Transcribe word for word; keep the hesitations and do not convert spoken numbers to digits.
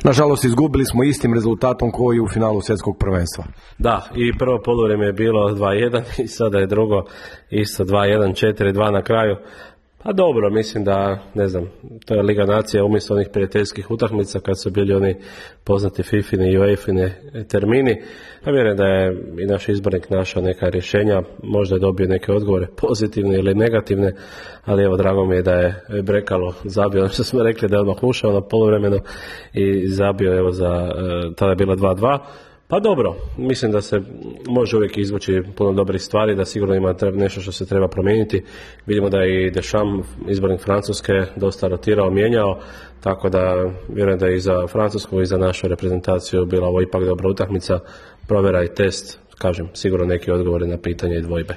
Nažalost, izgubili smo istim rezultatom koji u finalu svjetskog prvenstva. Da, i prvo poluvrijeme je bilo dva jedan i sada je drugo isto dva jedan, četiri dva na kraju. Pa dobro, mislim da, ne znam, to je Liga nacija umjesto onih prijateljskih utakmica kad su bili oni poznati Fifine i UEFine termini. Ja vjerujem da je i naš izbornik našao neka rješenja, možda je dobio neke odgovore pozitivne ili negativne, ali evo, drago mi je da je Brekalo zabio, ono što smo rekli da je odmah ušao na poluvremenu i zabio, evo, za, tada je bila dva dva. Pa dobro, mislim da se može uvijek izvući puno dobrih stvari, da sigurno ima nešto što se treba promijeniti. Vidimo da je i Deschamps, izbornik Francuske, dosta rotirao, mijenjao, tako da vjerujem da je i za Francusku i za našu reprezentaciju bila ovo ipak dobra utakmica, provjera i test, kažem, sigurno neki odgovori na pitanje i dvojbe.